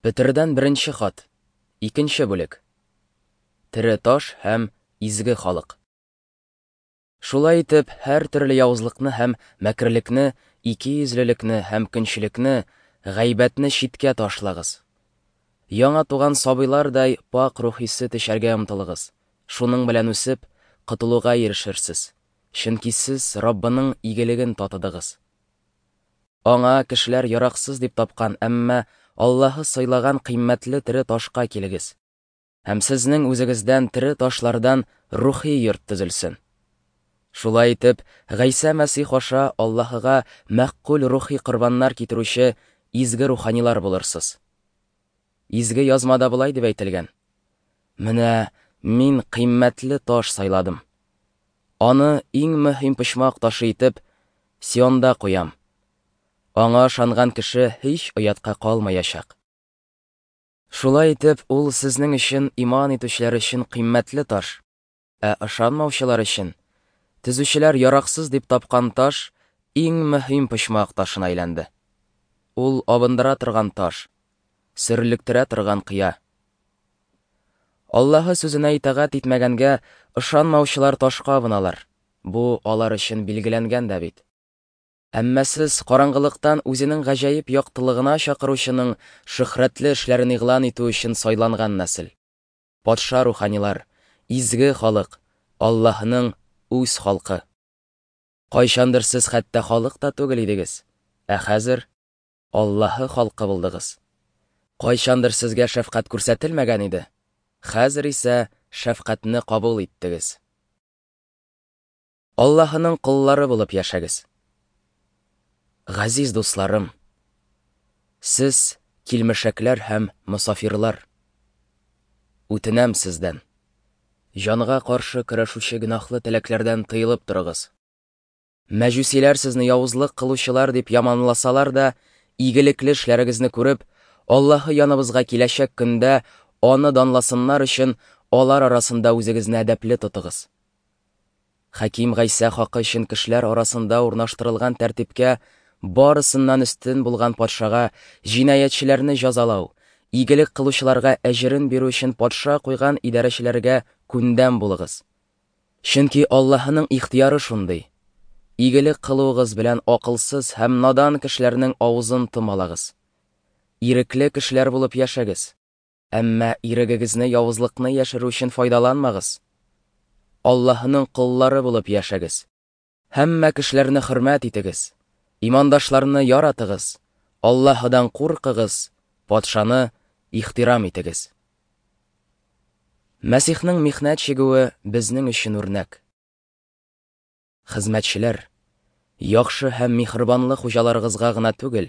Петердән беренче хат. Икенче бүлек. Тере таш һәм изге халык. Шулай итеп, һәр төрле явызлыкны һәм мәкерлекне, икейөзлелекне һәм көнчелекне, гайбәтне читкә ташлагыз. Яңа туган сабыйлардай пакь рухи сөт эчәргә омтылыгыз. Шуның белән үсеп, котылуга ирешерсез. Чөнки сез Раббының игелеген татыдыгыз. Аңа кешеләр яраксыз дип тапкан, әмма Аллаһы сайлаган кыйммәтле тере ташка килегез. Һәм сезнең үзегездән тере ташлардан рухи йорт төзелсен. Шулай итеп, Гайсә Мәсих аша Аллаһыга мәгъкуль рухи корбаннар китерүче изге руханилар булырсыз. Изге язмада болай дип әйтелгән: Менә мин кыйммәтле таш сайладым. Аны иң мөһим почмак ташы итеп Сионда куям. Аңа ышанган кеше һич оятка калмаячак. Шулай итеп, ул сезнең өчен иман итүчеләр өчен кыйммәтле таш, ә ышанмаучылар өчен төзүчеләр яраксыз дип тапкан таш иң мөһим почмак ташына әйләнде. Ул абындыра торган таш, сөрлектерә торган кыя. Аллаһы сүзенә итагать итмәгәнгә ышанмаучылар ташка абыналар. Бу алар өчен билгеләнгән дә бит. Әмма сез караңгылыктан үзенең гаҗәеп яктылыгына чакыручының шөһрәтле эшләрен игълан итү өчен сайланган нәсел. Патша руханилар, изге халык, Аллаһының үз халкы. Кайчандыр сез хәтта халык та түгел идегез, ә хәзер Аллаһы халкы булдыгыз. Кайчандыр сезгә шәфкать күрсәтелмәгән иде, хәзер исә шәфкатьне кабул иттегез. Аллаһының коллары булып яшәгез. Газиз дусларым, сез килмешәкләр һәм мосафирлар. Үтенәм сездән. Җанга каршы көрәшүче гөнаһлы теләкләрдән тыелып торыгыз. Мәҗүсиләр сезне явызлык кылучылар дип яманласалар да, игелекле эшләрегезне күреп, Аллаһы яныбызга киләчәк көндә аны данласыннар өчен алар арасында үзегезне әдәпле тотыгыз. Хаким Гайсә хакы өчен кешеләр арасында урнаштырылган тәртипкә барысыннан өстен булган патшага җинаятьчеләрне җәзалау, игелек кылучыларга әҗерен бирү өчен патша куйган идарәчеләргә күндәм булыгыз. Чөнки Аллаһының ихтыяры шундый. Игелек кылуыгыз белән акылсыз һәм надан кешеләрнең авызын томалагыз. Ирекле кешеләр булып яшәгез. Әмма ирегегезне явызлыкны яшерү өчен файдаланмагыз. Аллаһының коллары булып яшәгез. Һәммә кешеләрне хөрмәт итегез. Имандашларны яратыгыз. Аллаһыдан куркыгыз, патшаны ихтирам итегез. Мәсихнең михнәт чигүе безнең өчен үрнәк. Хезмәтчеләр, яхшы һәм миһербанлы хуҗаларыгызга гына түгел,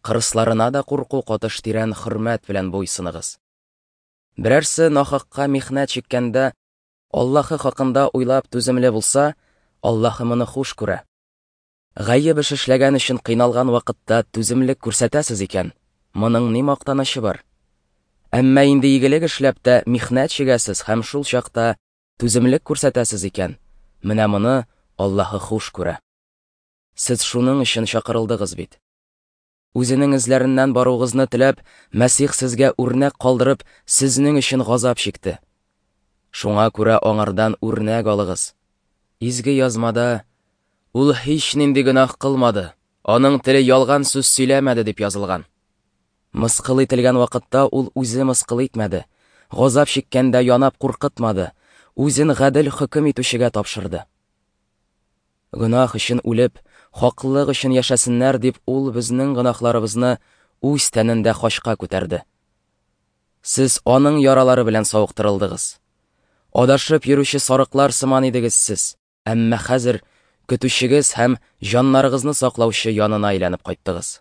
кырысларына да курку катыш тирән хөрмәт белән буйсыныгыз. Берәрсе нахакка михнәт чиккәндә Аллаһы хакында уйлап түземле булса, Аллаһы моны хуш күрә. Гаеп эш эшләгән өчен кыйналган вакытта түземлек күрсәтәсез икән, моның ни мактанычы бар? Әмма инде игелек эшләп тә михнәт чигәсез һәм шул чакта түземлек күрсәтәсез икән, менә моны Аллаһы хуш күрә. Сез шуның өчен чакырылдыгыз бит. Үзенең эзләреннән баруыгызны теләп, Мәсих сезгә үрнәк калдырып, сезнең өчен газап чикте. Шуңа күрә аңардан үрнәк алыгыз. Изге язмада ул һич нинди гөнаһ кылмады, аның теле ялган сүз сөйләмәде дип язылган. Мыскыл ителгән вакытта ул үзе мыскыл итмәде, газап чиккәндә янап куркытмады, үзен гадел хөкем итүчегә тапшырды. Гөнаһ өчен үлеп, хаклык өчен яшәсеннәр дип ул безнең гөнаһларыбызны үз тәнендә хачка күтәрде. Сез аның яралары белән савыктырылдыгыз. Адашып йөрүче сарыклар сыман идегез сез, әмма хәзер көтүчегез һәм җаннарыгызны саклаучы янына әйләнеп кайттыгыз.